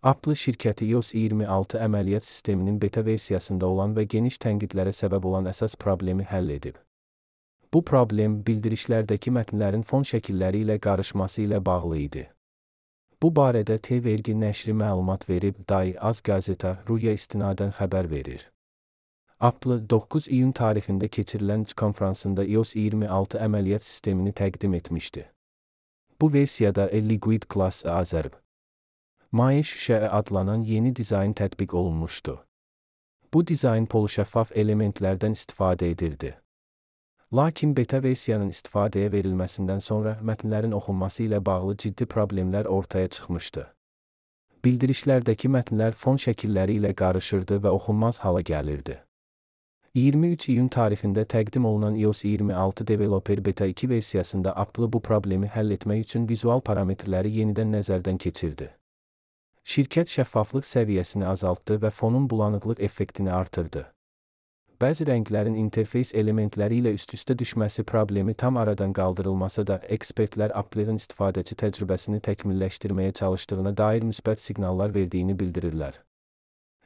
Apple şirkəti iOS 26 əməliyyat sisteminin beta versiyasında olan və geniş tənqidlərə səbəb olan əsas problemi həll edib. Bu problem bildirişlərdəki mətnlərin fon şəkilləri ilə qarışması ilə bağlı idi. Bu barədə T-Vergi nəşri məlumat verib, Az Gazeta.ru-ya istinadən xəbər verir. Apple 9 iyun tarixində keçirilən konfransında iOS 26 əməliyyat sistemini təqdim etmişdi. Bu versiyada Liquid Glass Azərb maye şüşə adlanan yeni dizayn tətbiq olunmuşdu. Bu dizayn polşəffaf elementlərdən istifadə edirdi. Lakin beta versiyanın istifadəyə verilməsindən sonra mətnlərin oxunması ilə bağlı ciddi problemlər ortaya çıxmışdı. Bildirişlərdəki mətnlər fon şəkilləri ilə qarışırdı və oxunmaz hala gəlirdi. 23 iyun tarixində təqdim olunan iOS 26 Developer Beta 2 versiyasında Apple bu problemi həll etmək üçün vizual parametrləri yenidən nəzərdən keçirdi. Şirkət şəffaflıq səviyyəsini azaltdı və fonun bulanıqlıq effektini artırdı. Bəzi rənglərin interfeys elementləri ilə üst-üstə düşməsi problemi tam aradan qaldırılmasa da, ekspertlər Apple'ın istifadəçi təcrübəsini təkmilləşdirməyə çalışdığına dair müsbət siqnallar verdiyini bildirirlər.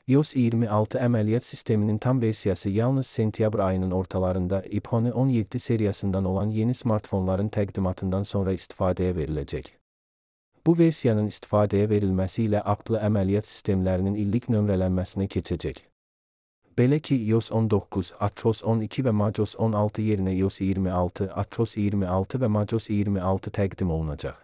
iOS 26 əməliyyat sisteminin tam versiyası yalnız sentyabr ayının ortalarında iPhone 17 seriyasından olan yeni smartfonların təqdimatından sonra istifadəyə veriləcək. Bu versiyanın istifadəyə verilməsi ilə Apple əməliyyat sistemlərinin illik nömrələnməsinə keçəcək. Belə ki, iOS 19, atros 12 və macOS 16 yerinə iOS 26, atros 26 və macOS 26 təqdim olunacaq.